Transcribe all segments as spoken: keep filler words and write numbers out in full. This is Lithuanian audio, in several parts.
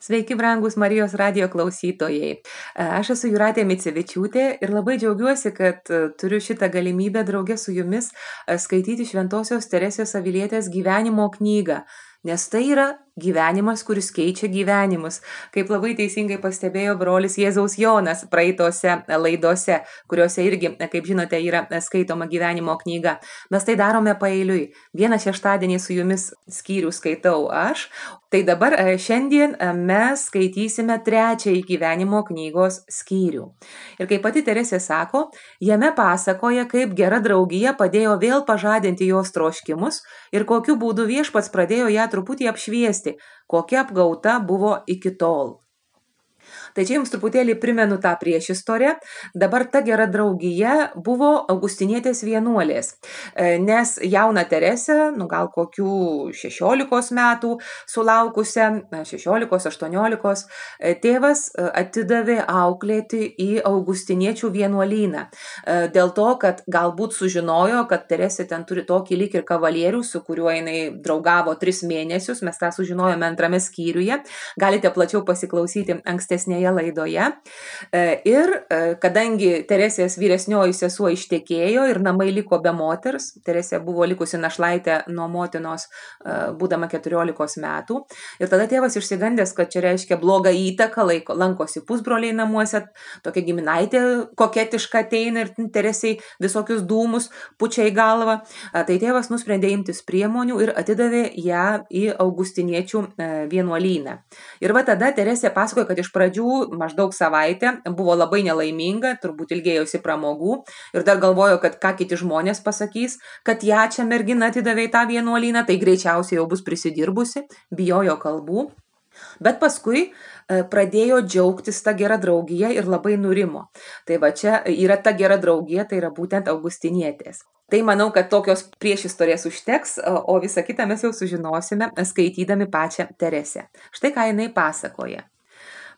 Sveiki, brangus Marijos radijo klausytojai. Aš esu Jūratė Micevičiūtė ir labai džiaugiuosi, kad turiu šitą galimybę draugė su jumis skaityti Šventosios Teresės Avilietės gyvenimo knygą, nes tai yra gyvenimas, kuris keičia gyvenimus. Kaip labai teisingai pastebėjo brolis Jėzaus Jonas praeitose laidose, kuriuose irgi, kaip žinote, yra skaitoma gyvenimo knyga. Mes tai darome paeiliui. Vieną šeštadienį su jumis skyrių skaitau aš, tai dabar šiandien mes skaitysime trečiąjį gyvenimo knygos skyrių. Ir kaip pati Teresė sako, jame pasakoja, kaip gera draugija padėjo vėl pažadinti jos troškimus ir kokiu būdu viešpats pradėjo ją truputį apšviesti, kokia apgauta buvo iki tol. Tai čia jums truputėlį primenu tą priešistorę. Dabar ta gera draugija buvo augustinietės vienuolės, nes jauną Teresę, nu gal kokių šešiolikos metų sulaukusią, šešiolikos, aštuoniolikos, tėvas atidavė auklėti į augustiniečių vienuolyną. Dėl to, kad galbūt sužinojo, kad Teresė ten turi tokį lyg ir kavalierių, su kuriuo jinai draugavo tris mėnesius, mes tą sužinojome antrame skyriuje. Galite plačiau pasiklausyti ankstesnėje laidoje. Ir kadangi Teresės vyresnioji sesuo ištekėjo ir namai liko be moters, Teresė buvo likusi našlaitė nuo motinos būdama keturiolikos metų. Ir tada tėvas išsigandęs, kad čia reiškia blogą įtaką, laiko, lankosi pusbroliai namuose, tokia giminaitė koketiška ateina ir Teresiai visokius dūmus pučia į galvą. Tai tėvas nusprendė imtis priemonių ir atidavė ją į augustiniečių vienuolyną. Ir va tada Teresė pasakoja, kad iš pradžių maždaug savaitę buvo labai nelaiminga, turbūt ilgėjosi pramogų ir dar galvojo, kad ką kiti žmonės pasakys, kad ją čia mergina atidavė į tą vienuolyną, tai greičiausiai jau bus prisidirbusi, bijojo kalbų. Bet paskui pradėjo džiaugtis ta gera draugija ir labai nurimo. Tai va čia yra ta gera draugija, tai yra būtent augustinietės. Tai manau, kad tokios priešistorės užteks, o visą kitą mes jau sužinosime, skaitydami pačią Teresę. Štai ką jinai pasakoja.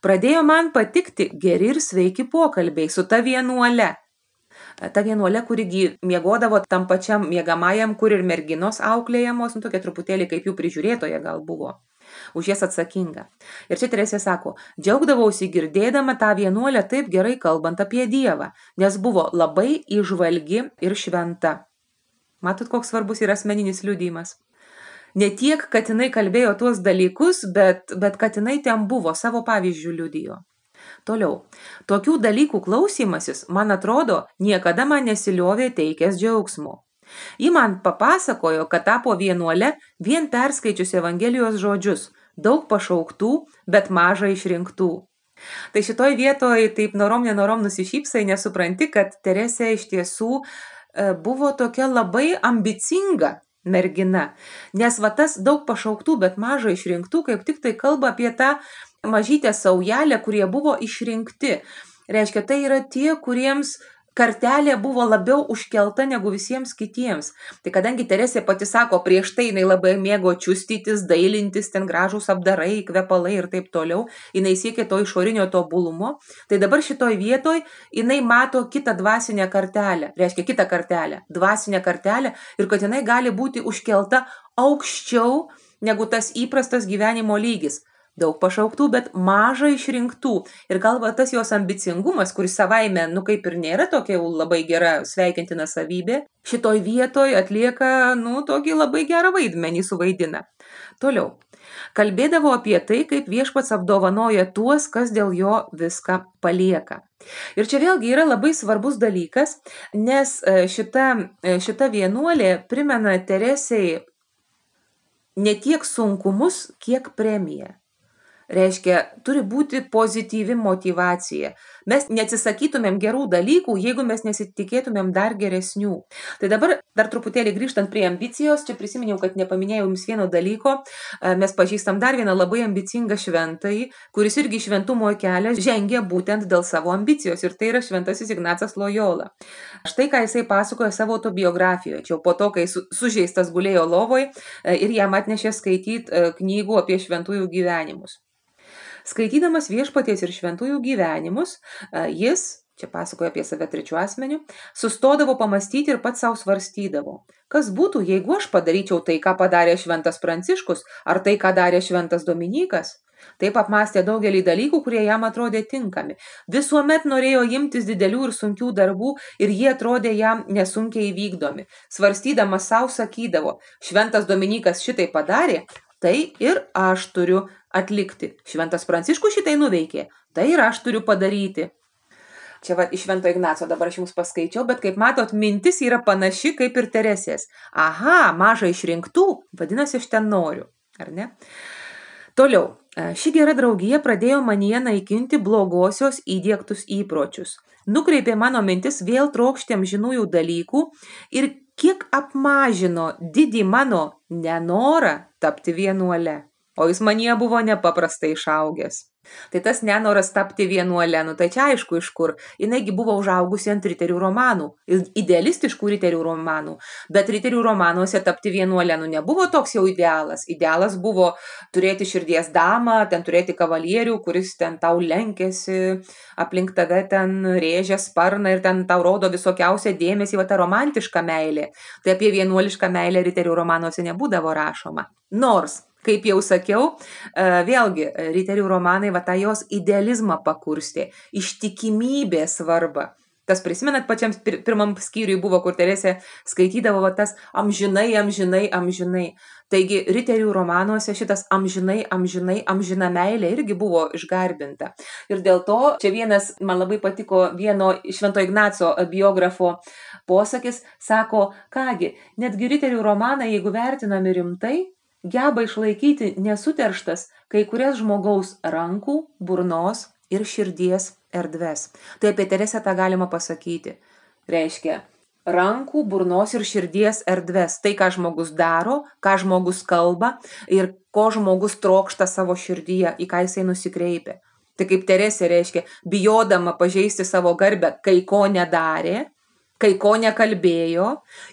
Pradėjo man patikti geri ir sveiki pokalbiai su ta vienuole. Ta vienuolė, kuri miegodavo tam pačiam miegamajam, kur ir merginos auklėjamos, nu tokia truputėlį kaip jų prižiūrėtoja gal buvo, už jas atsakinga. Ir čia Teresė sako, džiaugdavausi girdėdama tą vienuolę taip gerai kalbant apie Dievą, nes buvo labai įžvalgi ir šventa. Matot, koks svarbus yra asmeninis liudijimas. Ne tiek, kad jinai kalbėjo tuos dalykus, bet, bet kad jinai ten buvo, savo pavyzdžių liudijo. Toliau, tokių dalykų klausymasis, man atrodo, niekada man nesiliovė teikęs džiaugsmo. Ji man papasakojo, kad tapo vienuole vien perskaičius Evangelijos žodžius, daug pašauktų, bet maža išrinktų. Tai šitoj vietoj taip norom nenorom nusišypsai, nesupranti, kad Teresė iš tiesų buvo tokia labai ambicinga mergina, nes va tas daug pašauktų, bet maža išrinktų, kaip tik tai kalba apie tą mažytę saujelę, kurie buvo išrinkti. Reiškia, tai yra tie, kuriems kartelė buvo labiau užkelta negu visiems kitiems. Tai kadangi Teresė pati sako, prieš tai jinai labai mėgo čiustytis, dailintis, ten gražūs apdarai, kvepalai ir taip toliau, jinai siekė to išorinio tobulumo, tai dabar šitoj vietoj jinai mato kitą dvasinę kartelę, reiškia kitą kartelę, dvasinę kartelę ir kad jinai gali būti užkelta aukščiau negu tas įprastas gyvenimo lygis. Daug pašauktų, bet maža išrinktų. Ir gal va tas jos ambicingumas, kuris savaime, nu kaip ir nėra tokia labai gera sveikintina savybė, šitoj vietoj atlieka, nu, tokį labai gerą vaidmenį suvaidina. Toliau. Kalbėdavo apie tai, kaip viešpats apdovanoja tuos, kas dėl jo viską palieka. Ir čia vėlgi yra labai svarbus dalykas, nes šita, šita vienuolė primena Teresei ne tiek sunkumus, kiek premiją. Reiškia, turi būti pozityvi motyvacija. Mes neatsisakytumėm gerų dalykų, jeigu mes nesitikėtumėm dar geresnių. Tai dabar dar truputėlį grįžtant prie ambicijos, čia prisiminiau, kad nepaminėjau jums vieno dalyko, mes pažįstam dar vieną labai ambicingą šventąjį, kuris irgi šventumo kelią žengia būtent dėl savo ambicijos, ir tai yra šventasis Ignacas Lojola. Štai ką jisai pasakoja savo autobiografijoje, čia po to, kai sužeistas gulėjo lovoj ir jam atnešė skaityti knygų apie šventųjų gyvenimus. Skaitydamas viešpaties ir šventųjų gyvenimus, jis, čia pasakoja apie save trečiu asmeniu, sustodavo pamastyti ir pats savo svarstydavo. Kas būtų, jeigu aš padaryčiau tai, ką padarė šventas Pranciškus, ar tai, ką darė šventas Dominykas? Taip apmąstė daugelį dalykų, kurie jam atrodė tinkami. Visuomet norėjo imtis didelių ir sunkių darbų ir jie atrodė jam nesunkiai įvykdomi. Svarstydamas savo sakydavo, šventas Dominykas šitai padarė, tai ir aš turiu atlikti. Šventas Pranciškus šitai nuveikė, tai ir aš turiu padaryti. Čia va, iš Švento Ignaco dabar aš jums paskaičiau, bet kaip matot, mintis yra panaši kaip ir Teresės. Aha, maža išrinktų, vadinasi, aš ten noriu, ar ne? Toliau, ši gera draugija pradėjo manyje naikinti blogosios įdiegtus įpročius. Nukreipė mano mintis vėl trokšti amžinųjų dalykų ir kiek apmažino didį mano nenorą tapti vienuole. O jis manyje buvo nepaprastai išaugęs. Tai tas nenoras tapti vienuole, nu tai čia aišku iš kur. Jinaigi buvo užaugusi ant riterių romanų, idealistiškų riterių romanų, bet riterių romanuose tapti vienuole, nu nebuvo toks jau idealas. Idealas buvo turėti širdies damą, ten turėti kavalierių, kuris ten tau lenkėsi, aplink tave ten rėžia sparną ir ten tau rodo visokiausią dėmesį, va ta romantiška meilė. Tai apie vienuolišką meilę riterių romanuose nebūdavo rašoma. Nors kaip jau sakiau, vėlgi, riterių romanai va tą jos idealizmą pakurstė, ištikimybė svarba. Tas prisimenat pačiam pirmam skyriui buvo, kur Teresė skaitydavo va tas amžinai, amžinai, amžinai. Taigi, riterių romanuose šitas amžinai, amžinai, amžina meilė irgi buvo išgarbinta. Ir dėl to, čia vienas, man labai patiko vieno Švento Ignaco biografo posakis, sako, kągi, netgi riterių romanai, jeigu vertinami rimtai, geba išlaikyti nesuterštas kai kurias žmogaus rankų, burnos ir širdies erdves. Tai apie Teresę tą galima pasakyti. Reiškia, rankų, burnos ir širdies erdves. Tai, ką žmogus daro, ką žmogus kalba ir ko žmogus trokšta savo širdyje, į ką jisai nusikreipia. Tai kaip Teresė reiškia, bijodama pažeisti savo garbę, kai ko nedarė, kai ko nekalbėjo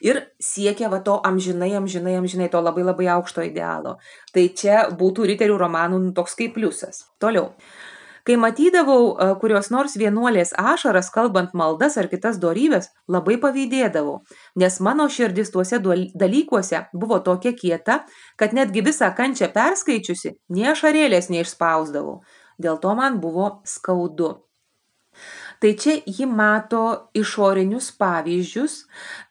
ir siekia va to amžinai, amžinai, amžinai, to labai labai aukšto idealo. Tai čia būtų riterių romanų toks kaip pliusas. Toliau. Kai matydavau kurios nors vienuolės ašaras, kalbant maldas ar kitas dorybės, labai pavydėdavau, nes mano širdis tuose dalykuose buvo tokia kieta, kad netgi visą kančią perskaičiusi, nie ašarėlės neišspausdavau. Dėl to man buvo skaudu. Tai čia ji mato išorinius pavyzdžius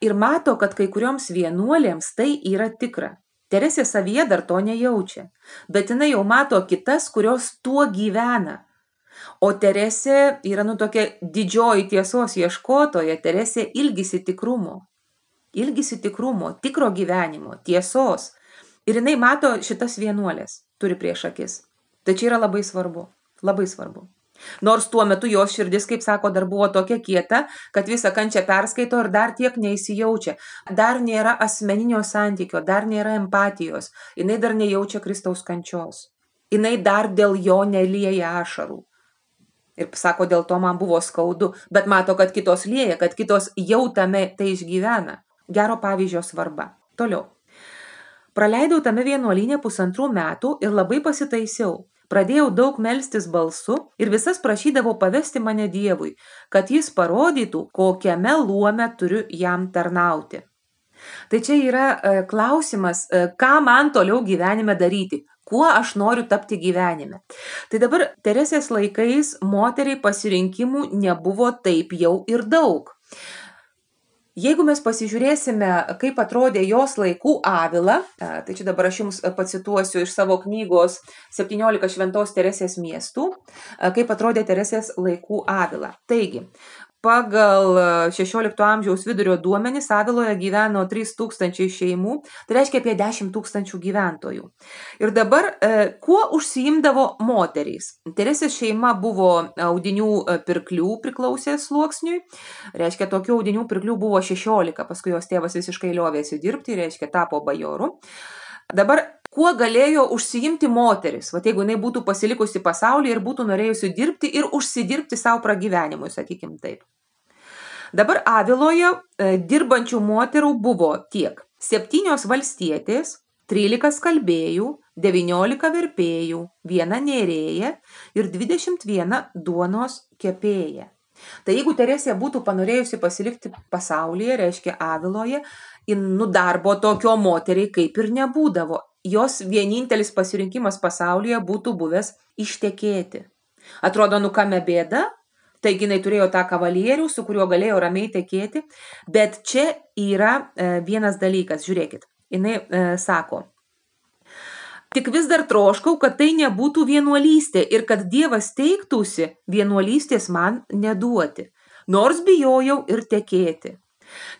ir mato, kad kai kurioms vienuolėms tai yra tikra. Teresė savyje dar to nejaučia, bet jinai jau mato kitas, kurios tuo gyvena. O Teresė yra nu tokia didžioji tiesos ieškotoja, Teresė ilgisi tikrumo. Ilgisi tikrumo, tikro gyvenimo, tiesos. Ir jinai mato šitas vienuolės, turi prieš akis. Tai čia yra labai svarbu, labai svarbu. Nors tuo metu jos širdis, kaip sako, dar buvo tokia kieta, kad visą kančią perskaito ir dar tiek neįsijaučia. Dar nėra asmeninio santykio, dar nėra empatijos. Jinai dar nejaučia Kristaus kančios. Jinai dar dėl jo nelieja ašarų. Ir sako, dėl to man buvo skaudu, bet mato, kad kitos lieja, kad kitos jau tame tai išgyvena. Gero pavyzdžio svarba. Toliau. Praleidau tame vienuolyne pusantrų metų ir labai pasitaisiau. Pradėjau daug melstis balsu ir visas prašydavau pavesti mane Dievui, kad jis parodytų, kokiame luome turiu jam tarnauti. Tai čia yra e, klausimas, e, ką man toliau gyvenime daryti, kuo aš noriu tapti gyvenime. Tai dabar Teresės laikais moteriai pasirinkimų nebuvo taip jau ir daug. Jeigu mes pasižiūrėsime, kaip atrodė jos laikų Avila, tai čia dabar aš jums pacituosiu iš savo knygos septyniolika šventos Teresės miestų, kaip atrodė Teresės laikų Avila. Taigi, pagal šešiolikto amžiaus vidurio duomenis Aviloje gyveno trys tūkstančiai šeimų, tai reiškia apie dešimt tūkstančių gyventojų. Ir dabar, kuo užsiimdavo moterys? Teresės šeima buvo audinių pirklių priklausė sluoksniui, reiškia tokių audinių pirklių buvo šešiolika, paskui jos tėvas visiškai liovėsi dirbti, reiškia tapo bajoru. Dabar, kuo galėjo užsiimti moteris, va jeigu jinai būtų pasilikusi pasaulyje ir būtų norėjusi dirbti ir užsidirbti savo pragyvenimui, sakykim taip. Dabar Aviloje e, dirbančių moterų buvo tiek septynios valstietės, trylika skalbėjų, devyniolika verpėjų, viena nėrėja ir dvidešimt viena duonos kepėja. Tai jeigu Teresė būtų panorėjusi pasilikti pasaulyje, reiškia Aviloje, nu darbo tokio moteriai kaip ir nebūdavo. jos vienintelis pasirinkimas pasaulyje būtų buvęs ištekėti. Atrodo, nu kame bėda, taigi jinai turėjo tą kavalierių, su kuriuo galėjo ramiai tekėti, bet čia yra e, vienas dalykas, žiūrėkit, jinai e, sako, tik vis dar troškau, kad tai nebūtų vienuolystė ir kad Dievas teiktųsi vienuolystės man neduoti, nors bijojau ir tekėti.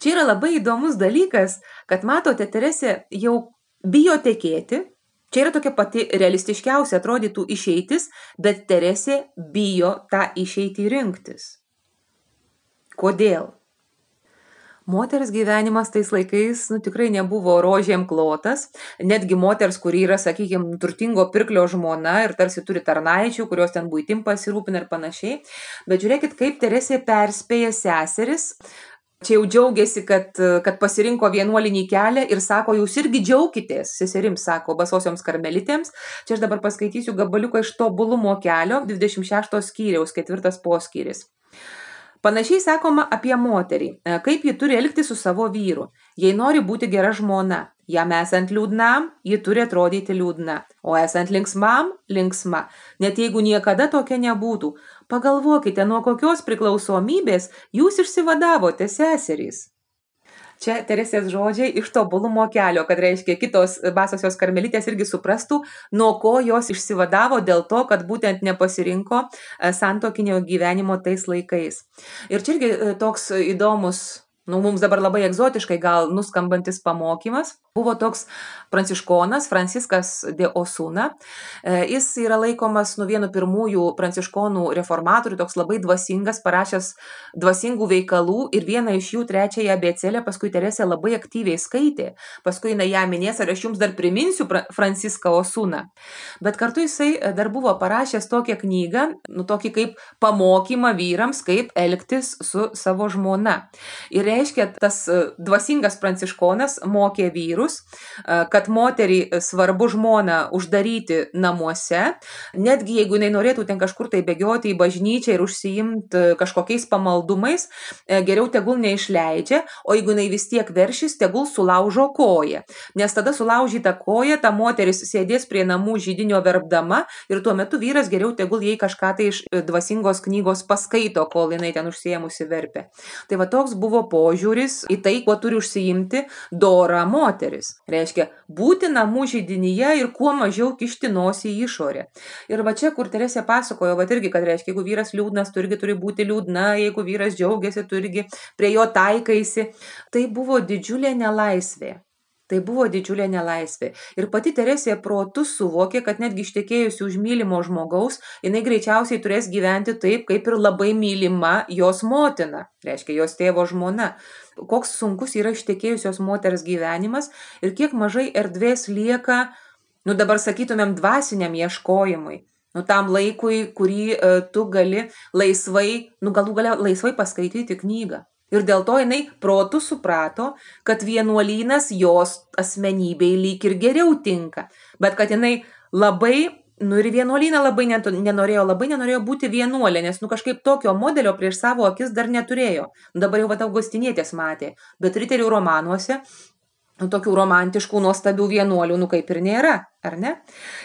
Čia yra labai įdomus dalykas, kad matote, Teresė jau bijo tekėti, čia yra tokia pati realistiškiausia atrodytų išeitis, bet Teresė bijo tą išeitį rinktis. Kodėl? Moters gyvenimas tais laikais nu, tikrai nebuvo rožėm klotas, netgi moters, kuri yra, sakykime, turtingo pirklio žmona ir tarsi turi tarnaičių, kurios ten buitim pasirūpina ir panašiai. Bet žiūrėkit, kaip Teresė perspėja seseris, čia jau džiaugiasi, kad, kad pasirinko vienuolinį kelią ir sako, jūs irgi džiaukitės, seserims sako, basosioms karmelitėms. Čia aš dabar paskaitysiu gabaliuką iš tobulumo kelio, dvidešimt šešto skyriaus, ketvirtas poskyris. Panašiai sakoma apie moterį, kaip ji turi elgtis su savo vyru. Jei nori būti gera žmona, jam esant liūdnam, ji turi atrodyti liūdna, o esant linksmam, linksma. Net jeigu niekada tokia nebūtų, pagalvokite, nuo kokios priklausomybės jūs išsivadavote, seserys. Čia Teresės žodžiai iš tobulumo kelio, kad reiškia kitos basosios karmelitės irgi suprastų, nuo ko jos išsivadavo dėl to, kad būtent nepasirinko santuokinio gyvenimo tais laikais. Ir čia irgi toks įdomus, nu, mums dabar labai egzotiškai gal nuskambantis pamokymas. Buvo toks pranciškonas Franciskas de Osuna. Jis yra laikomas nu vienu pirmųjų pranciškonų reformatorių, toks labai dvasingas, parašęs dvasingų veikalų ir vieną iš jų trečiąją abėcėlę paskui Teresė labai aktyviai skaitė. Paskui jinai ją minės, ar aš jums dar priminsiu Franciską Osuną. Bet kartu jisai dar buvo parašęs tokią knygą, nu tokį kaip pamokymą vyrams, kaip elgtis su savo žmona. Ir reiškia, tas dvasingas pranciškonas mokė vyrus, kad moterį svarbu žmoną uždaryti namuose, netgi jeigu jinai norėtų ten kažkur tai bėgioti į bažnyčią ir užsiimti kažkokiais pamaldumais, geriau tegul neišleidžia, o jeigu jinai vis tiek veršis, tegul sulaužo koją. Nes tada sulaužyta koja, ta moteris sėdės prie namų židinio verpdama ir tuo metu vyras geriau tegul jai kažką tai iš dvasingos knygos paskaito, kol jinai ten užsiėmusi verpė. Tai va toks buvo požiūris į tai, kuo turi užsiimti dora moteris. Reiškia, būti namų židinyje ir kuo mažiau kišti nosį į išorę. Ir va čia, kur Teresė pasakojo, va irgi, kad reiškia, jeigu vyras liūdnas, tu irgi turi būti liūdna, jeigu vyras džiaugiasi, tu irgi prie jo taikaisi. Tai buvo didžiulė nelaisvė. Tai buvo didžiulė nelaisvė. Ir pati Teresė protu suvokė, kad netgi ištekėjusi už mylimo žmogaus, jinai greičiausiai turės gyventi taip, kaip ir labai mylima jos motina, reiškia, jos tėvo žmona. Koks sunkus yra ištekėjusios moters gyvenimas ir kiek mažai erdvės lieka, nu dabar sakytumėm, dvasiniam ieškojimui. Nu tam laikui, kurį e, tu gali laisvai, nu galų galia laisvai paskaityti knygą. Ir dėl to jinai protu suprato, kad vienuolynas jos asmenybei lyg ir geriau tinka, bet kad jinai labai, nu ir vienuolyną labai nenorėjo, labai nenorėjo būti vienuolė, nes nu kažkaip tokio modelio prieš savo akis dar neturėjo. Dabar jau vat Augustinietės matė, bet riterių romanuose nu, tokių romantiškų, nuostabių vienuolių, nu kaip ir nėra, ar ne?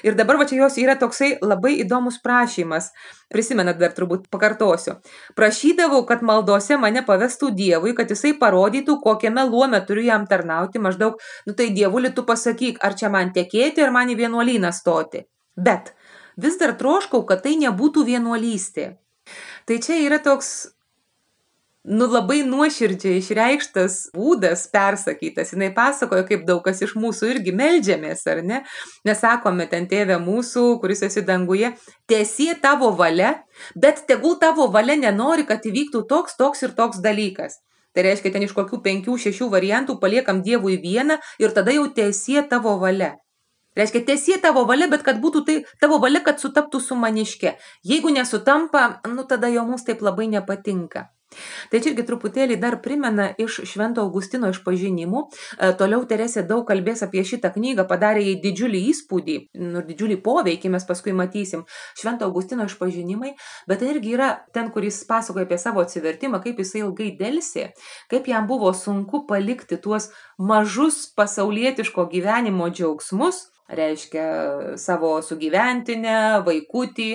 Ir dabar va čia jos yra toksai labai įdomus prašymas. Prisimenat, dar turbūt pakartosiu. Prašydavau, kad maldose mane pavestų Dievui, kad jisai parodytų, kokiame luome turiu jam tarnauti, maždaug, nu tai Dievuli tu pasakyk, ar čia man tekėti, ar man į vienuolyną stoti. Bet vis dar troškau, kad tai nebūtų vienuolystė. Tai čia yra toks nu labai nuoširdžiai išreikštas būdas persakytas. Jinai pasakojo, kaip daug kas iš mūsų irgi meldžiamės, ar ne? Nesakome ten tėve mūsų, kuris esi danguje, tiesie tavo valia, bet tegul tavo valia nenori, kad įvyktų toks, toks ir toks dalykas. Tai reiškia, ten iš kokių penkių, šešių variantų paliekam Dievui vieną ir tada jau tiesie tavo valia. Reiškia, tiesie tavo valia, bet kad būtų tai tavo valia, kad sutaptų su maniške. Jeigu nesutampa, nu tada jau mums taip labai nepatinka. Tai čia irgi truputėlį dar primena iš Švento Augustino išpažinimų. Toliau Teresė daug kalbės apie šitą knygą, padarė jai didžiulį įspūdį, nu, didžiulį poveikį, mes paskui matysim Švento Augustino išpažinimai, bet tai irgi yra ten, kur jis pasakoja apie savo atsivertimą, kaip jisai ilgai delsė, kaip jam buvo sunku palikti tuos mažus pasaulietiško gyvenimo džiaugsmus reiškia savo sugyventinę, vaikutį,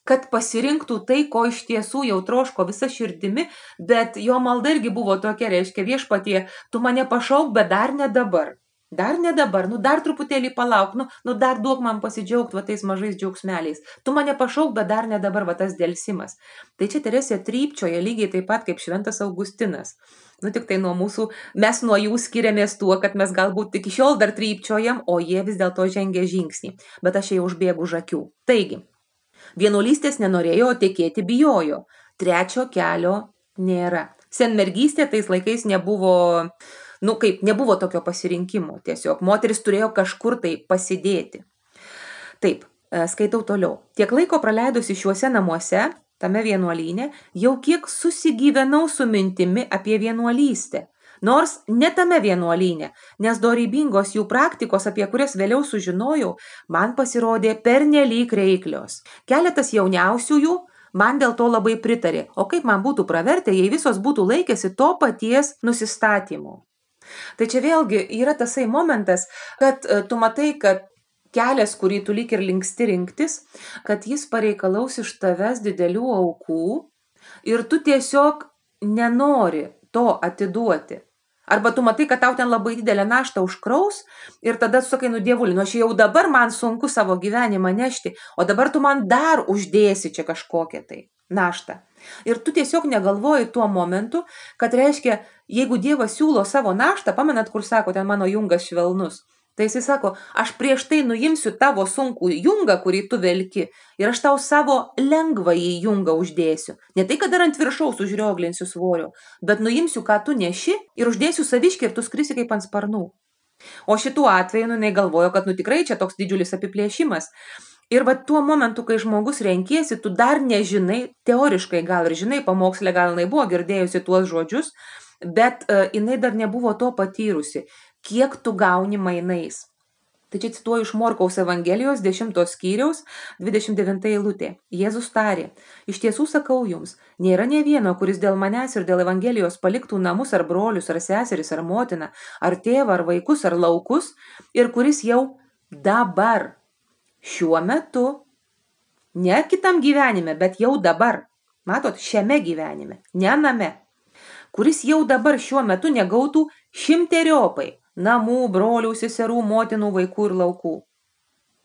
kad pasirinktų tai, ko iš tiesų jau troško visa širdimi, bet jo malda irgi buvo tokia, reiškia viešpatie, tu mane pašauk, bet dar ne dabar. Dar ne dabar, nu dar truputėlį palauk, nu, nu dar duok man pasidžiaugti va tais mažais džiaugsmeliais. Tu mane pašauk, bet dar ne dabar va tas dėlsimas. Tai čia Teresė trypčioja lygiai taip pat kaip šventas Augustinas. Nu tik tai nuo mūsų, mes nuo jų skiriamės tuo, kad mes galbūt iki šiol dar trypčiojam, o jie vis dėlto žengia žingsnį. Bet aš jau užbėgu už akių. Taigi, vienuolystės nenorėjo, o tekėti bijojo. Trečio kelio nėra. Senmergystė tais laikais nebuvo... Nu, kaip, nebuvo tokio pasirinkimo, tiesiog moteris turėjo kažkur tai pasidėti. Taip, skaitau toliau. Tiek laiko praleidusi šiuose namuose, tame vienuolyne, jau kiek susigyvenau su mintimi apie vienuolystę. Nors ne tame vienuolyne, nes dorybingos jų praktikos, apie kurias vėliau sužinojau, man pasirodė pernelyg reiklios. Keletas jauniausiųjų man dėl to labai pritarė, o kaip man būtų pravertę, jei visos būtų laikėsi to paties nusistatymo. Tai čia vėlgi yra tasai momentas, kad tu matai, kad kelias, kurį tu lyg ir linksti rinktis, kad jis pareikalaus iš tavęs didelių aukų ir tu tiesiog nenori to atiduoti. Arba tu matai, kad tau ten labai didelę naštą užkraus ir tada tu sakai, nu dievuli, nu aš jau dabar man sunku savo gyvenimą nešti, o dabar tu man dar uždėsi čia kažkokią tai naštą. Ir tu tiesiog negalvoji tuo momentu, kad reiškia, jeigu Dievas siūlo savo naštą, pamenat, kur sako, ten mano jungas švelnus, tai jisai sako, aš prieš tai nuimsiu tavo sunkų jungą, kurį tu velki, ir aš tau savo lengvąjį jungą uždėsiu. Ne tai, kad dar ant viršaus užrioglinsiu svorio, bet nuimsiu, ką tu neši, ir uždėsiu saviškį ir tu skrisi kaip ant sparnų. O šituo atveju, nu, jinai galvojo, kad nu tikrai čia toks didžiulis apiplėšimas. Ir va tuo momentu, kai žmogus renkiesi, tu dar nežinai, teoriškai gal ir žinai, pamokslė gal jinai buvo girdėjusi tuos žodžius, bet uh, jinai dar nebuvo to patyrusi, kiek tu gauni mainais. Tai čia cituoju iš Morkaus Evangelijos dešimtos skyriaus dvidešimt devinta eilutė. Jėzus tarė, iš tiesų sakau jums, nėra nė vieno, kuris dėl manęs ir dėl Evangelijos paliktų namus ar brolius, ar seseris, ar motiną, ar tėvą, ar vaikus, ar laukus, ir kuris jau dabar, šiuo metu, ne kitam gyvenime, bet jau dabar, matot, šiame gyvenime, ne name, kuris jau dabar šiuo metu negautų šimteriopai namų, brolių, seserų, motinų, vaikų ir laukų.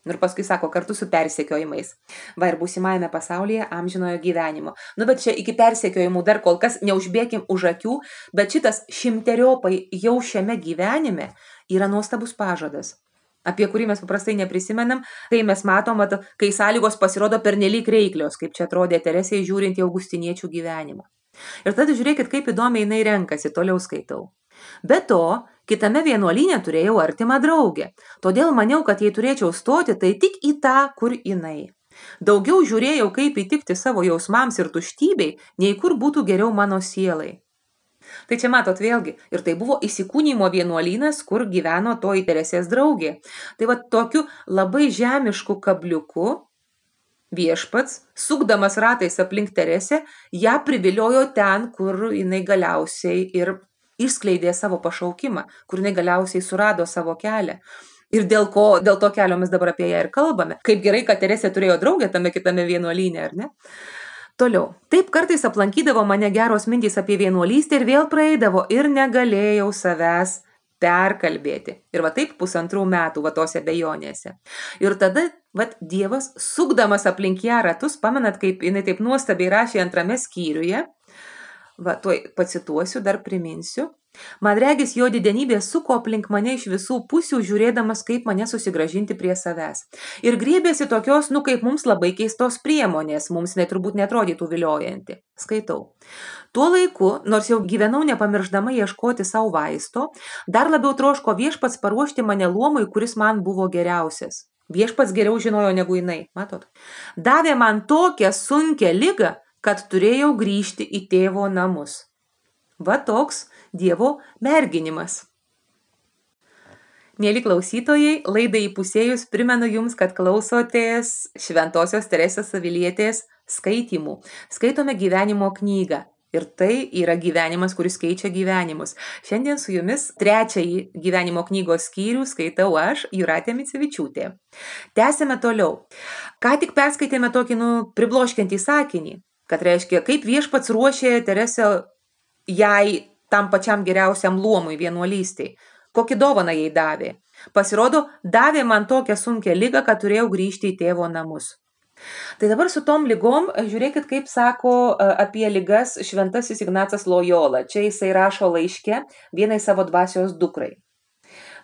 Ir paskui sako, kartu su persekiojimais. Va ir būsimajame pasaulyje amžinojo gyvenimo. Nu, bet čia iki persekiojimų dar kol kas neužbėkim už akių, bet šitas šimteriopai jau šiame gyvenime yra nuostabus pažadas, apie kurį mes paprastai neprisimenam, kai mes matom, kai sąlygos pasirodo pernelyg reiklios, kaip čia atrodė Teresei žiūrint į augustiniečių gyvenimą. Ir tada žiūrėkit, kaip įdomiai jinai renkasi, toliau skaitau. Be to, kitame vienuolyne turėjau artimą draugę, todėl maniau, kad jei turėčiau stoti, tai tik į tą, kur jinai. Daugiau žiūrėjau, kaip įtikti savo jausmams ir tuštybei, nei kur būtų geriau mano sielai. Tai čia matot vėlgi, ir tai buvo įsikūnymo vienuolynas, kur gyveno toji Teresės draugė. Tai va tokiu labai žemišku kabliuku viešpats, sukdamas ratais aplink Teresę, ją priviliojo ten, kur jinai galiausiai ir išskleidė savo pašaukimą, kur jinai galiausiai surado savo kelią. Ir dėl ko, dėl to kelio mes dabar apie ją ir kalbame. Kaip gerai, kad Teresė turėjo draugę tame kitame vienuolyne, ar ne? Toliau. Taip kartais aplankydavo mane geros mintys apie vienuolystę ir vėl praeidavo ir negalėjau savęs perkalbėti. Ir va taip pusantrų metų va tose bejonėse. Ir tada va Dievas, sukdamas aplink ją ratus, pamenat, kaip jinai taip nuostabiai rašė antrame skyriuje, va tuoj pacituosiu, dar priminsiu. Man regis, jo didenybė suko aplink mane iš visų pusių, žiūrėdamas, kaip mane susigražinti prie savęs. Ir griebėsi tokios, nu kaip mums labai keistos priemonės, mums net turbūt netrodytų viliojanti. Skaitau. Tuo laiku, nors jau gyvenau nepamirždama ieškoti savo vaisto, dar labiau troško viešpats paruošti mane luomui, kuris man buvo geriausias. Viešpats geriau žinojo negu jinai, matot. Davė man tokią sunkią ligą, kad turėjau grįžti į tėvo namus. Va toks Dievo merginimas. Mieli klausytojai, laidai įpusėjus primenu jums, kad klausotės Šventosios Teresės Avilietės skaitymų. Skaitome gyvenimo knygą Ir tai yra gyvenimas, kuris keičia gyvenimus. Šiandien su jumis trečiąjį gyvenimo knygos skyrių skaitau aš, Jūratė Micevičiūtė. Tęsime toliau. Ką tik perskaitėme tokį, nu, pribloškiantį sakinį, kad reiškia, kaip viešpats ruošė Teresę jai tam pačiam geriausiam luomui vienuolystei. Kokį dovaną jai davė. Pasirodo, davė man tokią sunkią ligą, kad turėjau grįžti į tėvo namus. Tai dabar su tom ligom, žiūrėkit, kaip sako apie ligas šventasis Ignacas Lojola. Čia jisai rašo laiške vienai savo dvasios dukrai.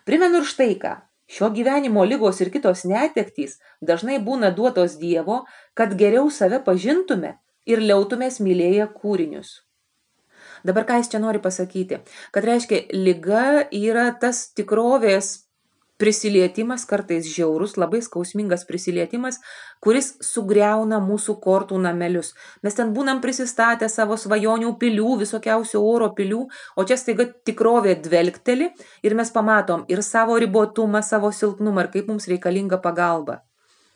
Primenu ir štai ką. Šio gyvenimo ligos ir kitos netektys dažnai būna duotos Dievo, kad geriau save pažintume ir liautumės mylėję kūrinius. Dabar ką jis čia nori pasakyti? Kad reiškia, liga yra tas tikrovės prisilietimas, kartais žiaurus, labai skausmingas prisilietimas, kuris sugriauna mūsų kortų namelius. Mes ten būnam prisistatę savo svajonių pilių, visokiausių oro pilių, o čia staiga tikrovė dvelkteli ir mes pamatom ir savo ribotumą, savo silpnumą ir kaip mums reikalinga pagalba.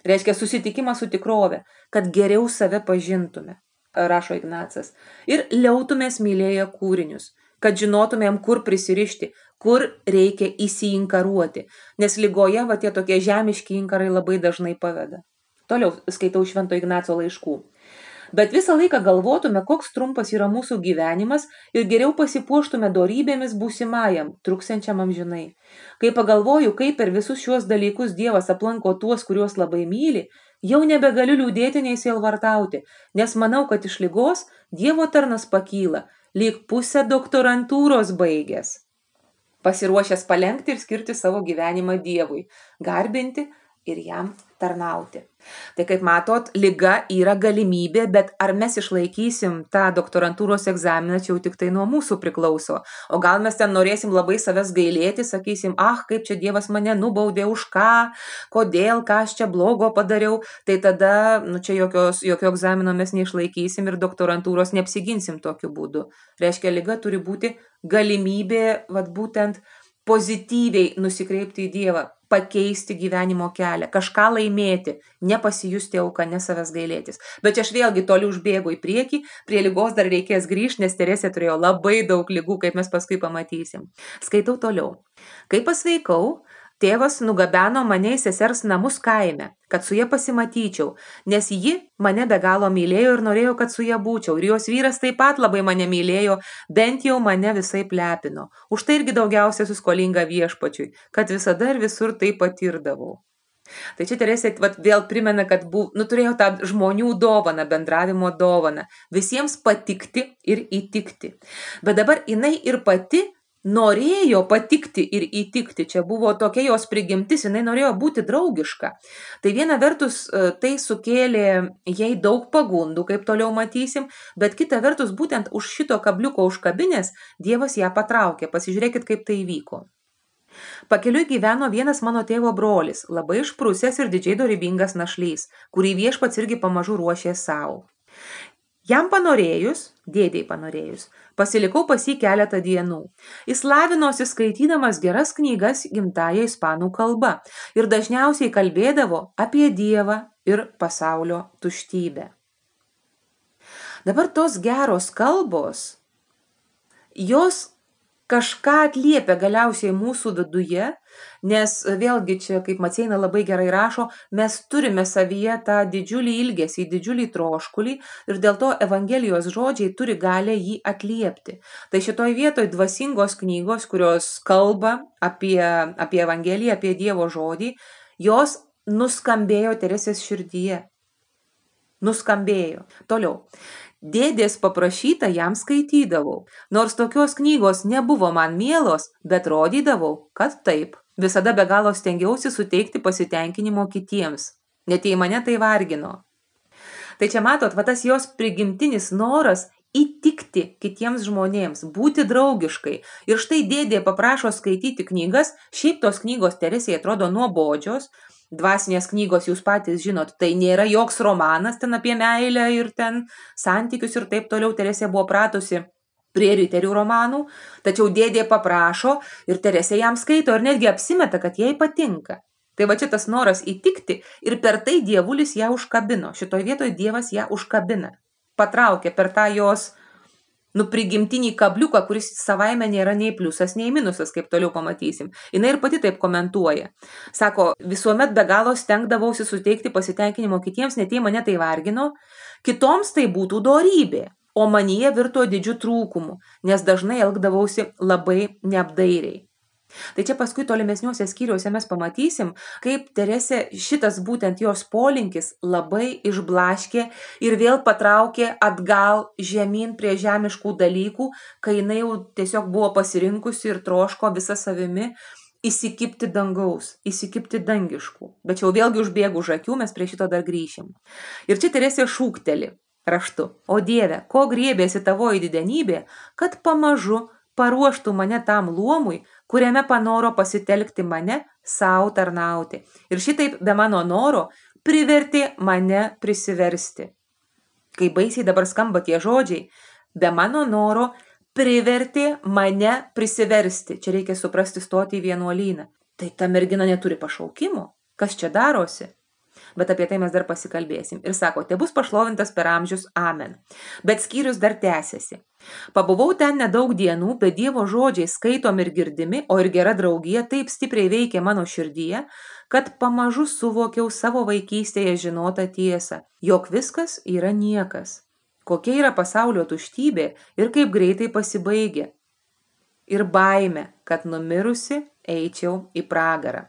Reiškia susitikimą su tikrove, kad geriau save pažintume, rašo Ignacas, ir liautumės mylėję kūrinius, kad žinotumėm, kur prisirišti, kur reikia įsiinkaruoti, nes ligoje va tie tokie žemiški inkarai labai dažnai paveda. Toliau skaitau Švento Ignaco laiškų. Bet visą laiką galvotume, koks trumpas yra mūsų gyvenimas ir geriau pasipuoštume dorybėmis būsimajam, truksiančiam amžinai. Kai pagalvoju, kaip per visus šiuos dalykus Dievas aplanko tuos, kuriuos labai myli, jau nebegaliu liūdėti nei sielvartauti, nes manau, kad iš ligos Dievo tarnas pakyla, lyg pusę doktorantūros baigęs, pasiruošęs palenkti ir skirti savo gyvenimą Dievui, garbinti ir jam tarnauti. Tai kaip matot, liga yra galimybė, bet ar mes išlaikysim tą doktorantūros egzaminą, čia jau tik tai nuo mūsų priklauso. O gal mes ten norėsim labai savęs gailėti, sakysim, ah, kaip čia Dievas mane nubaudė, už ką, kodėl, ką aš čia blogo padariau, tai tada, nu čia jokios, jokio egzamino mes neišlaikysim ir doktorantūros neapsiginsim tokiu būdu. Reiškia, liga turi būti galimybė, vat būtent pozityviai nusikreipti į Dievą, pakeisti gyvenimo kelią, kažką laimėti, nepasijusti auką, ne savęs gailėtis. Bet aš vėlgi toli užbėgu į priekį, prie ligos dar reikės grįžti, nes Teresė turėjo labai daug ligų, kaip mes paskui pamatysim. Skaitau toliau. Kai pasveikau, tėvas nugabeno mane į sesers namus kaime, kad su ja pasimatyčiau, nes ji mane be galo mylėjo ir norėjo, kad su ja būčiau. Ir jos vyras taip pat labai mane mylėjo, bent jau mane visai plepino. Už tai irgi daugiausia suskolinga viešpačiui, kad visada ir visur tai patirdavau. Tai čia Teresė vat, vėl primena, kad buv, nu, turėjo tą žmonių dovaną, bendravimo dovaną, visiems patikti ir įtikti. Bet dabar jinai ir pati norėjo patikti ir įtikti, čia buvo tokia jos prigimtis, jinai norėjo būti draugiška. Tai viena vertus tai sukėlė jai daug pagundų, kaip toliau matysim, bet kita vertus būtent už šito kabliuko užkabinės Dievas ją patraukė. Pasižiūrėkit, kaip tai įvyko. Pakeliui gyveno vienas mano tėvo brolis, labai išprusęs ir didžiai dorybingas našlys, kurį viešpats irgi pamažu ruošė savo. Jam panorėjus, dėdei panorėjus, pasilikau pas jį keletą dienų. Jis lavinosi skaitydamas geras knygas gimtąja ispanų kalba ir dažniausiai kalbėdavo apie Dievą ir pasaulio tuštybę. Dabar tos geros kalbos, jos kažką atliepia galiausiai mūsų viduje, nes vėlgi čia, kaip Maceina labai gerai rašo, mes turime savyje tą didžiulį ilgesį, didžiulį troškulį ir dėl to Evangelijos žodžiai turi galę jį atliepti. Tai šitoj vietoj dvasingos knygos, kurios kalba apie, apie Evangeliją, apie Dievo žodį, jos nuskambėjo Teresės širdyje. Nuskambėjo. Toliau. Dėdės paprašytą jam skaitydavau, nors tokios knygos nebuvo man mielos, bet rodydavau, kad taip. Visada be galo stengiausi suteikti pasitenkinimo kitiems, net jei mane tai vargino. Tai čia matot, va tas jos prigimtinis noras įtikti kitiems žmonėms, būti draugiškai. Ir štai dėdė paprašo skaityti knygas, šiaip tos knygos Teresei atrodo nuobodžios, dvasinės knygos jūs patys žinot, tai nėra joks romanas ten apie meilę ir ten santykius ir taip toliau. Teresė buvo pratusi prie riterių romanų, tačiau dėdė paprašo ir Teresė jam skaito ir netgi apsimeta, kad jai patinka. Tai va čia tas noras įtikti ir per tai dievulis ją užkabino. Šitoj vietoj Dievas ją užkabina, patraukė per tą jos nu prigimtinį kabliuką, kuris savaime nėra nei pliusas, nei minusas, kaip toliau pamatysim. Jis ir pati taip komentuoja. Sako, visuomet be galo stengdavausi suteikti pasitenkinimo kitiems, net jei mane tai vargino, kitoms tai būtų dorybė, o manyje virto didžiu trūkumu, nes dažnai elgdavausi labai neapdairiai. Tai čia paskui tolimesniuose skyriuose mes pamatysim, kaip Teresė šitas būtent jos polinkis labai išblaškė ir vėl patraukė atgal žemyn prie žemiškų dalykų, kai jinai jau tiesiog buvo pasirinkusi ir troško visą savimi įsikipti dangaus, įsikipti dangiškų. Bet jau vėlgi užbėgu už akių, mes prie šito dar grįšim. Ir čia Teresė šūkteli raštu: O Dieve, ko griebėsi tavoji didenybė, kad pamažu paruoštų mane tam luomui, kuriame panoro pasitelkti mane sau tarnauti. Ir šitaip be mano noro privertė mane prisiversti. Kai baisiai dabar skamba tie žodžiai, be mano noro privertė mane prisiversti. Čia reikia suprasti stoti į vienuolyną. Tai ta mergina neturi pašaukimo. Kas čia darosi? Bet apie tai mes dar pasikalbėsim. Ir sako, te bus pašlovintas per amžius, amen. Bet skyrius dar tęsiasi. Pabuvau ten nedaug dienų, bet Dievo žodžiai skaitom ir girdimi, o ir gera draugija taip stipriai veikė mano širdyje, kad pamažu suvokiau savo vaikystėje žinotą tiesą, jog viskas yra niekas. Kokia yra pasaulio tuštybė ir kaip greitai pasibaigia. Ir baime, kad numirusi eičiau į pragarą.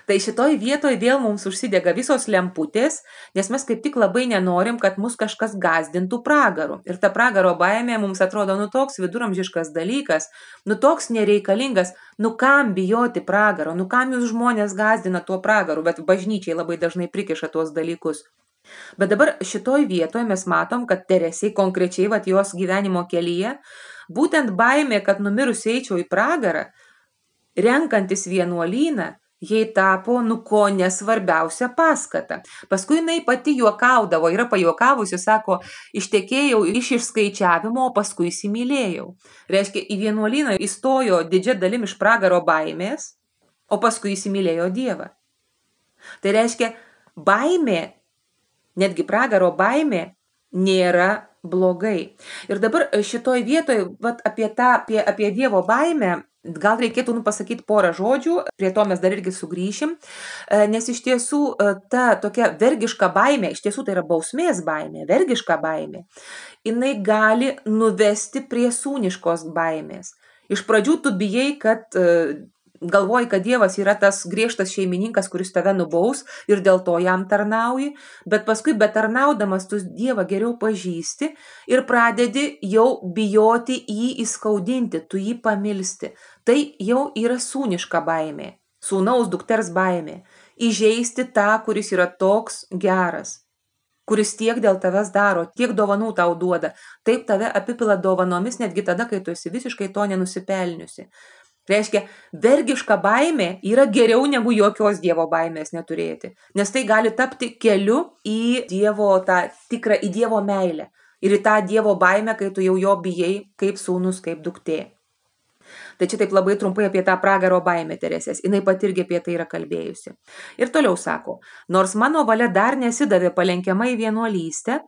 Tai šitoj vietoj vėl mums užsidega visos lemputės, nes mes kaip tik labai nenorim, kad mus kažkas gazdintų pragaru. Ir ta pragaro baimė mums atrodo, nu toks viduramžiškas dalykas, nu toks nereikalingas, nu kam bijoti pragaro, nu kam jūs žmonės gazdina tuo pragaru, bet bažnyčiai labai dažnai prikiša tuos dalykus. Bet dabar šitoj vietoj mes matom, kad Teresei konkrečiai vat jos gyvenimo kelyje, būtent baimė, kad numirus eičiau į pragarą, renkantis vienuolyną, jai tapo, nu ko nesvarbiausia paskata. Paskui jinai pati juokaudavo, yra pajuokavusi, sako, ištekėjau iš išskaičiavimo, o paskui įsimylėjau. Reiškia, į vienuolyną įstojo didžia dalim iš pragaro baimės, o paskui įsimylėjo Dievą. Tai reiškia, baimė, netgi pragaro baimė, nėra blogai. Ir dabar šitoj vietoj, vat, apie, tą, apie, apie Dievo baimę, gal reikėtų nu, pasakyti porą žodžių, prie to mes dar irgi sugrįšim, nes iš tiesų ta tokia vergiška baimė, iš tiesų tai yra bausmės baimė, vergiška baimė, jinai gali nuvesti prie sūniškos baimės. Iš pradžių tu bijai, kad galvoji, kad Dievas yra tas griežtas šeimininkas, kuris tave nubaus ir dėl to jam tarnauji, bet paskui betarnaudamas tu Dievą geriau pažįsti ir pradedi jau bijoti jį įskaudinti, tu jį pamilsti. Tai jau yra sūniška baimė, sūnaus dukters baimė, įžeisti tą, kuris yra toks geras, kuris tiek dėl tavęs daro, tiek dovanų tau duoda, taip tave apipila dovanomis netgi tada, kai tu esi visiškai to nenusipelniusi. Reiškia, vergiška baimė yra geriau negu jokios Dievo baimės neturėti, nes tai gali tapti keliu į Dievo tą tikrą, į Dievo meilę ir į tą Dievo baimę, kai tu jau jo bijai kaip sūnus, kaip duktė. Tai čia taip labai trumpai apie tą pragaro baimę Teresės, jinai pat irgi apie tai yra kalbėjusi. Ir toliau sako, nors mano valia dar nesidavė palenkiama į vienuolystę,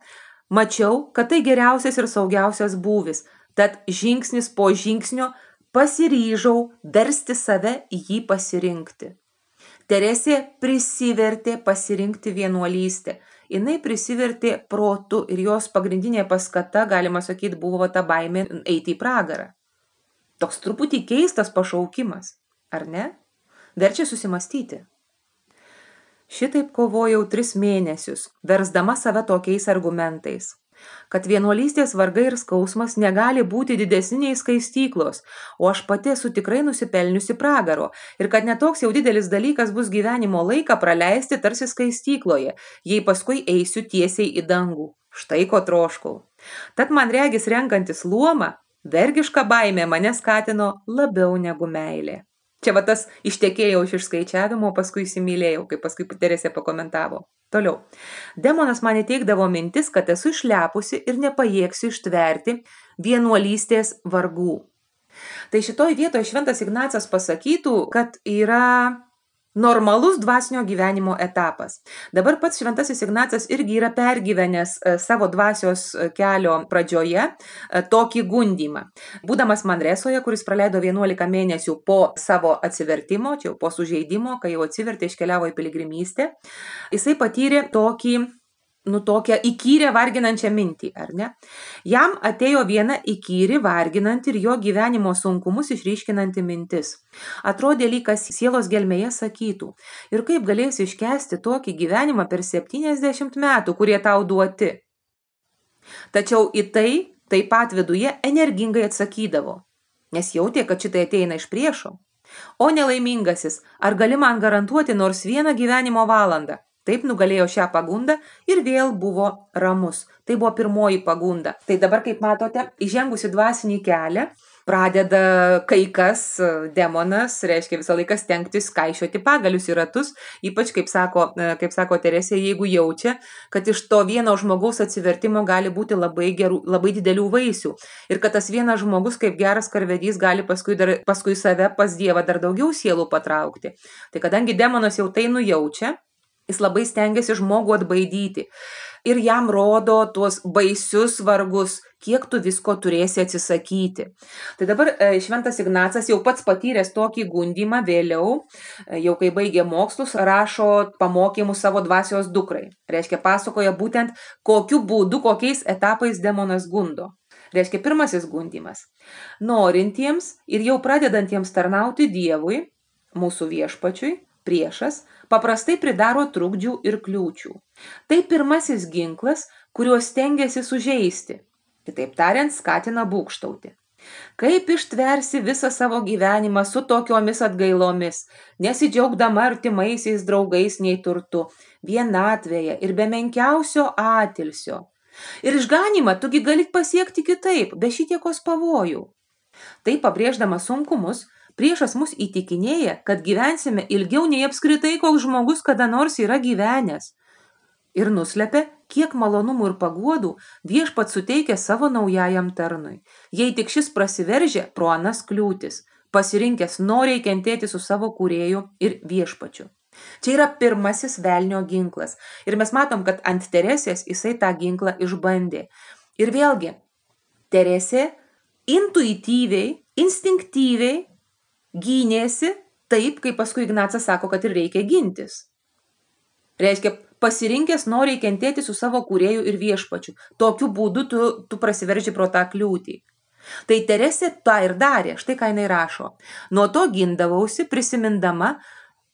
mačiau, kad tai geriausias ir saugiausias būvis, tad žingsnis po žingsnio pasiryžau versti save į jį pasirinkti. Teresė prisivertė pasirinkti vienuolystę. Jinai prisivertė protu ir jos pagrindinė paskata, galima sakyti, buvo ta baimė eiti į pragarą. Toks truputį keistas pašaukimas, ar ne? Verčia susimastyti. Šitaip kovojau tris mėnesius, versdama save tokiais argumentais, kad vienuolystės vargai ir skausmas negali būti didesniai skaistyklos, o aš pati esu tikrai nusipelniusi pragaro ir kad netoks jau didelis dalykas bus gyvenimo laiką praleisti tarsi skaistykloje, jei paskui eisiu tiesiai į dangų. Štai ko troškau. Tad man regis renkantis luomą, vergiška baimė mane skatino labiau negu meilė. Čia va tas ištekėjau iš išskaičiavimo, paskui įsimylėjau, kaip paskui Teresė pakomentavo. Toliau. Demonas man įteikdavo mintis, kad esu išlepusi ir nepajėgsiu ištverti vienuolystės vargų. Tai šitoj vietoje Šventas Ignacas pasakytų, kad yra normalus dvasinio gyvenimo etapas. Dabar pats Šventasis Ignacas irgi yra pergyvenęs savo dvasios kelio pradžioje tokį gundymą. Būdamas Manresoje, kuris praleido vienuolika mėnesių po savo atsivertimo, čia jau po sužeidimo, kai jau atsivertė, iškeliavo į piligrimystę, jisai patyrė tokį nu tokią įkyrę varginančią mintį, ar ne? Jam atėjo viena įkyri, varginanti ir jo gyvenimo sunkumus išryškinanti mintis. Atrodė lyg kas sielos gelmėje sakytų, ir kaip galėsi iškęsti tokį gyvenimą per septyniasdešimt metų, kurie tau duoti. Tačiau į tai taip pat viduje energingai atsakydavo, nes jautė, kad šitai ateina iš priešo. O nelaimingasis, ar gali man garantuoti nors vieną gyvenimo valandą? Taip nugalėjo šią pagundą ir vėl buvo ramus. Tai buvo pirmoji pagunda. Tai dabar, kaip matote, įžengusi dvasinį kelią, pradeda kai kas, demonas, reiškia visą laiką stengtis kaišioti pagalius į ratus, ypač, kaip sako, kaip sako Teresė, jeigu jaučia, kad iš to vieno žmogaus atsivertimo gali būti labai, gerų, labai didelių vaisių. Ir kad tas vienas žmogus, kaip geras karvedys, gali paskui, dar, paskui save pas Dievą dar daugiau sielų patraukti. Tai kadangi demonas jau tai nujaučia, jis labai stengiasi žmogų atbaidyti ir jam rodo tuos baisius vargus, kiek tu visko turėsi atsisakyti. Tai dabar Šventas Ignacas jau pats patyręs tokį gundymą vėliau, jau kai baigė mokslus, rašo pamokymus savo dvasios dukrai. Reiškia, pasakoja būtent kokiu būdu, kokiais etapais demonas gundo. Reiškia, pirmasis gundymas. Norintiems ir jau pradedantiems tarnauti Dievui, mūsų viešpačiui, priešas, paprastai pridaro trukdžių ir kliūčių. Tai pirmasis ginklas, kuriuo stengiasi sužeisti. Kitaip tariant, skatina būgštauti. Kaip ištversi visą savo gyvenimą su tokiomis atgailomis, nesidžiaugdama artimaisiais draugais nei turtu, vienatvėje ir be menkiausio atilsio. Ir išganimą tugi gali pasiekti kitaip, be šitiekos pavojų. Tai pabrėždamas sunkumus, priešas mus įtikinėja, kad gyvensime ilgiau nei apskritai koks žmogus kada nors yra gyvenęs. Ir nuslepia, kiek malonumų ir paguodų viešpats suteikia savo naujajam tarnui. Jei tik šis prasiveržia pro anas kliūtis, pasirinkęs noriai kentėti su savo kūrėju ir viešpačiu. Čia yra pirmasis velnio ginklas. Ir mes matom, kad ant Teresės jisai tą ginklą išbandė. Ir vėlgi, Teresė intuityviai, instinktyviai gynėsi taip, kaip paskui Ignacas sako, kad ir reikia gintis. Reiškia, pasirinkęs noriai kentėti su savo kūrėju ir viešpačiu. Tokiu būdu tu, tu prasiverži pro tą kliūtį. Tai Teresė tą ir darė, štai ką jinai rašo. Nuo to gindavausi prisimindama,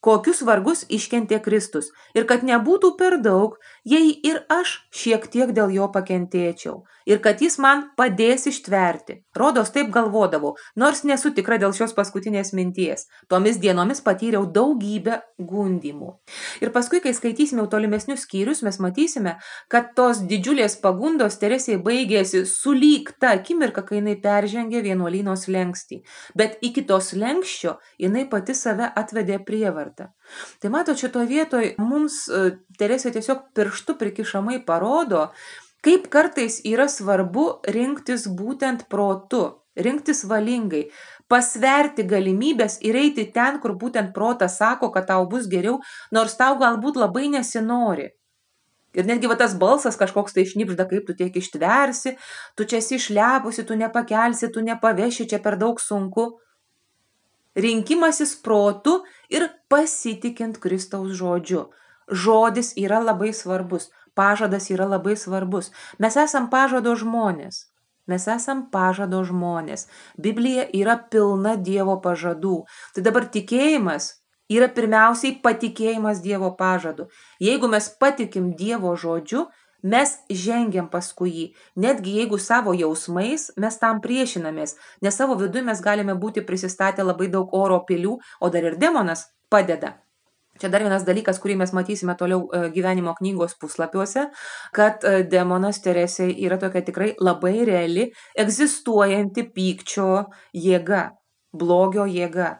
kokius vargus iškentė Kristus ir kad nebūtų per daug, jei ir aš šiek tiek dėl jo pakentėčiau ir kad jis man padės ištverti. Rodos taip galvodavau, nors nesu tikra dėl šios paskutinės minties. Tomis dienomis patyriau daugybę gundymų. Ir paskui, kai skaitysime tolimesnius skyrius, mes matysime, kad tos didžiulės pagundos Teresei baigėsi sulyg ta akimirka, kai jinai peržengė vienuolyno slenkstį. Bet iki to slenkščio jinai pati save atvedė prievartą. Tai mato, šito vietoj mums Teresė tiesiog pirštu prikišamai parodo, kaip kartais yra svarbu rinktis būtent protu, rinktis valingai, pasverti galimybės ir eiti ten, kur būtent protas sako, kad tau bus geriau, nors tau galbūt labai nesinori. Ir netgi va tas balsas kažkoks tai šnipžda, kaip tu tiek ištversi, tu čia esi išlepusi, tu nepakelsi, tu nepaveši, čia per daug sunku. Rinkimasis protu ir pasitikint Kristaus žodžiu. Žodis yra labai svarbus. Pažadas yra labai svarbus. Mes esam pažado žmonės. Mes esam pažado žmonės. Biblija yra pilna Dievo pažadų. Tai dabar tikėjimas yra pirmiausiai patikėjimas Dievo pažadu. Jeigu mes patikim Dievo žodžiu, mes žengiam paskui jį. Netgi jeigu savo jausmais mes tam priešinamės, nes savo viduje mes galime būti prisistatę labai daug oro pilių, o dar ir demonas padeda. Čia dar vienas dalykas, kurį mes matysime toliau gyvenimo knygos puslapiuose, kad demonas Teresė yra tokia tikrai labai reali, egzistuojanti pykčio jėga, blogio jėga.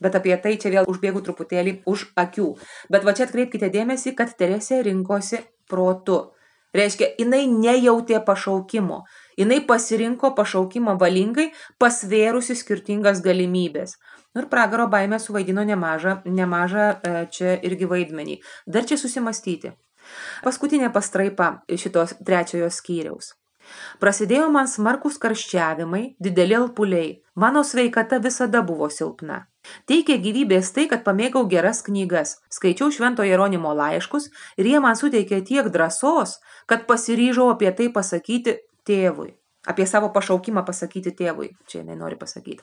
Bet apie tai čia vėl užbėgu truputėlį už akių. Bet va čia atkreipkite dėmesį, kad Teresė rinkosi protu. Reiškia, jinai nejautė pašaukimo. Jinai pasirinko pašaukimą valingai, pasvėrusi skirtingas galimybės. Ir pragaro baimė suvaidino nemažą, nemažą čia irgi vaidmenį. Dar čia susimastyti. Paskutinė pastraipa šitos trečiojo skyriaus. Prasidėjo man smarkus karščiavimai, dideli alpuliai. Mano sveikata visada buvo silpna. Teikė gyvybės tai, kad pamėgau geras knygas. Skaičiau Švento Jeronimo laiškus ir jie man suteikė tiek drąsos, kad pasiryžau apie tai pasakyti tėvui. Apie savo pašaukimą pasakyti tėvui. Čia jinai nori pasakyti.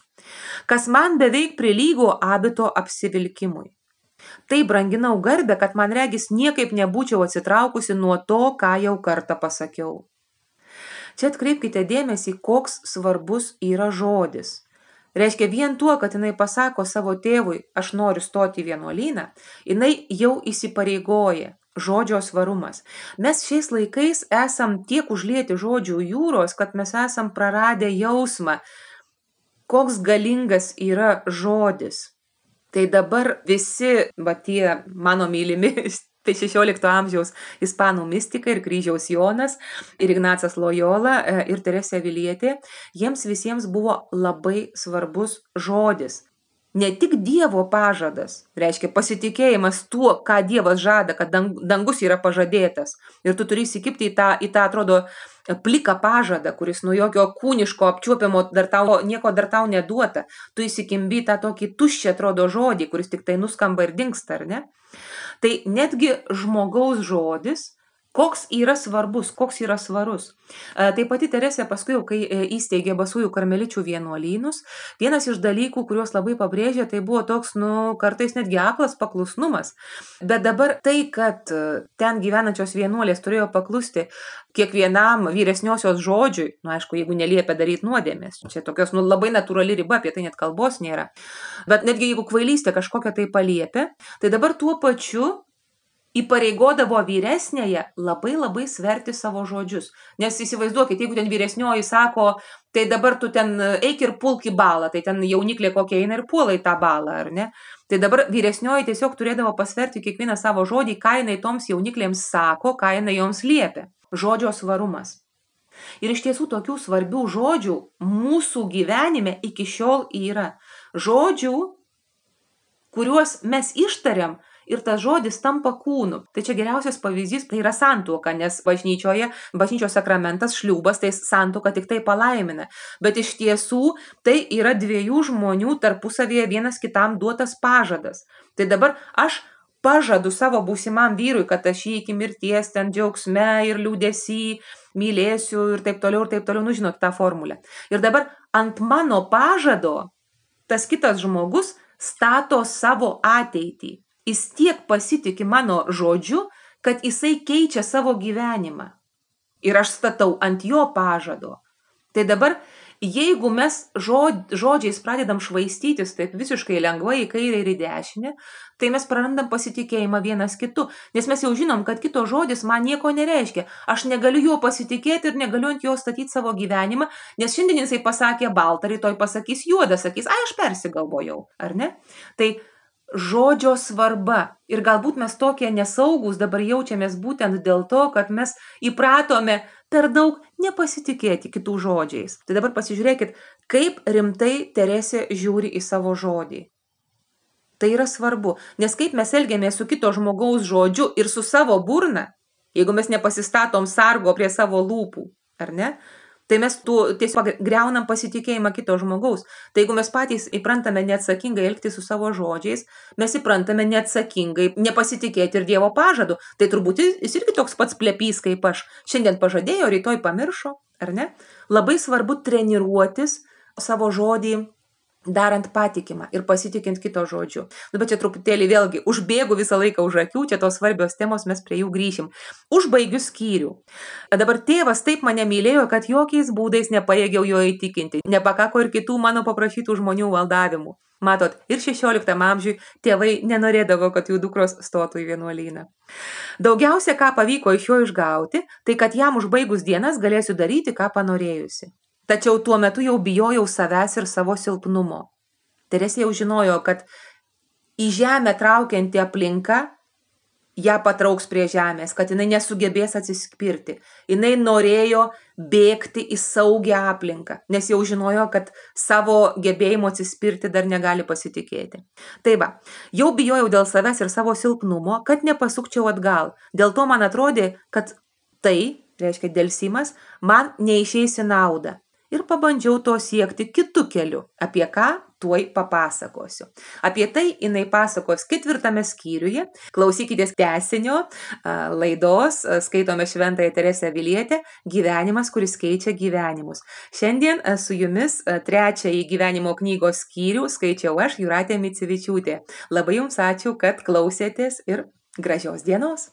Kas man beveik prilygo abito apsivilkimui. Tai branginau garbę, kad man regis niekaip nebūčiau atsitraukusi nuo to, ką jau kartą pasakiau. Čia atkreipkite dėmesį, koks svarbus yra žodis. Reiškia, vien tuo, kad jinai pasako savo tėvui, aš noriu stoti į vienuolyną, jinai jau įsipareigoja. Žodžio svarumas. Mes šiais laikais esam tiek užlieti žodžių jūros, kad mes esam praradę jausmą, koks galingas yra žodis. Tai dabar visi, va tie mano mylimi, tai šešiolikto amžiaus ispanų mistikai ir Kryžiaus Jonas, ir Ignacas Lojola, ir Teresė Avilietė, jiems visiems buvo labai svarbus žodis. Ne tik Dievo pažadas, reiškia pasitikėjimas tuo, ką Dievas žada, kad dangus yra pažadėtas. Ir tu turi įsikipti į tą, į tą atrodo, pliką pažadą, kuris nuo jokio kūniško apčiuopiamo dar tau, nieko dar tau neduota. Tu įsikimbi tą tokį tuščią atrodo žodį, kuris tik tai nuskamba ir dingsta, ar ne? Tai netgi žmogaus žodis, koks yra svarbus, koks yra svarus. Tai pati Teresė paskui, kai įsteigė Basųjų karmeličių vienuolynus, vienas iš dalykų, kuriuos labai pabrėžė, tai buvo toks, nu, kartais netgi aklas paklusnumas. Bet dabar tai, kad ten gyvenančios vienuolės turėjo paklusti kiekvienam vyresniosios žodžiui, nu, aišku, jeigu neliepia daryti nuodėmės, čia tokios, nu, labai natūrali riba, apie tai net kalbos nėra. Bet netgi jeigu kvailystė kažkokią tai paliepia, tai dabar tuo pačiu įpareigodavo vyresnėje labai labai sverti savo žodžius. Nes įsivaizduokit, jeigu ten vyresnioji sako, tai dabar tu ten eik ir pulk į balą, tai ten jauniklė kokia eina ir puola į tą balą, ar ne? Tai dabar vyresnioji tiesiog turėdavo pasverti kiekvieną savo žodį, ką jinai toms jauniklėms sako, ką jinai joms liepia. Žodžio svarumas. Ir iš tiesų tokių svarbių žodžių mūsų gyvenime iki šiol yra. Žodžių, kuriuos mes ištariam, ir tas žodis tampa kūnu. Tai čia geriausias pavyzdys, tai yra santuoka, nes bažnyčioje, bažnyčios sakramentas, šliūbas, tai santuoka tik tai palaimina. Bet iš tiesų tai yra dviejų žmonių tarpusavėje vienas kitam duotas pažadas. Tai dabar aš pažadu savo būsimam vyrui, kad aš jį iki mirties ten džiaugsme ir liūdesy mylėsiu ir taip toliau, ir taip toliau, nu žinot tą formulę. Ir dabar ant mano pažado tas kitas žmogus stato savo ateitį. Jis tiek pasitiki mano žodžiu, kad jisai keičia savo gyvenimą. Ir aš statau ant jo pažado. Tai dabar, jeigu mes žod, žodžiais pradedam švaistytis taip visiškai lengvai į kairę ir į dešinę, tai mes prarandam pasitikėjimą vienas kitu. Nes mes jau žinom, kad kito žodis man nieko nereiškia. Aš negaliu juo pasitikėti ir negaliu ant jo statyti savo gyvenimą, nes šiandien jisai pasakė baltą, rytoj pasakys juodą, sakys, ai aš persigalvojau, ar ne? Tai žodžio svarba. Ir galbūt mes tokie nesaugus dabar jaučiamės būtent dėl to, kad mes įpratome per daug nepasitikėti kitų žodžiais. Tai dabar pasižiūrėkit, kaip rimtai Teresė žiūri į savo žodį. Tai yra svarbu, nes kaip mes elgiamės su kito žmogaus žodžiu ir su savo burna, jeigu mes nepasistatom sargo prie savo lūpų, ar ne? Tai mes tu tiesiog greunam pasitikėjimą kito žmogaus. Tai jeigu mes patys įprantame neatsakingai elgtis su savo žodžiais, mes įprantame neatsakingai nepasitikėti ir Dievo pažadu. Tai turbūt jis irgi toks pats plepys kaip aš. Šiandien pažadėjo, rytoj pamiršo, ar ne? Labai svarbu treniruotis savo žodį darant patikimą ir pasitikint kito žodžiu. Nu, bet čia truputėlį vėlgi užbėgu visą laiką už akių, čia tos svarbios temos, mes prie jų grįšim. Užbaigiu skyrių. Dabar tėvas taip mane mylėjo, kad jokiais būdais nepajėgiau jo įtikinti. Nepakako ir kitų mano paprašytų žmonių valdavimų. Matot, ir šešioliktam amžiui tėvai nenorėdavo, kad jų dukros stotų į vienuolyną. Daugiausia, ką pavyko iš jo išgauti, tai kad jam užbaigus dienas galėsiu daryti, ką panorėjusi. Tačiau tuo metu jau bijojau savęs ir savo silpnumo. Teresė jau žinojo, kad į žemę traukianti aplinka ją patrauks prie žemės, kad jinai nesugebės atsispirti. Jinai norėjo bėgti į saugią aplinką, nes jau žinojo, kad savo gebėjimo atsispirti dar negali pasitikėti. Tai va, jau bijojau dėl savęs ir savo silpnumo, kad nepasukčiau atgal. Dėl to man atrodė, kad tai, reiškia dėlsimas, man neišeis į naudą. Ir pabandžiau to siekti kitų kelių. Apie ką tuoj papasakosiu. Apie tai jinai pasakos ketvirtame skyriuje. Klausykitės tęsinio laidos, skaitome Šventąją Teresę Avilietę, gyvenimas, kuris keičia gyvenimus. Šiandien su jumis trečiąjį gyvenimo knygos skyrių skaičiau aš, Jūratė Micevičiūtė. Labai jums ačiū, kad klausėtės ir gražios dienos.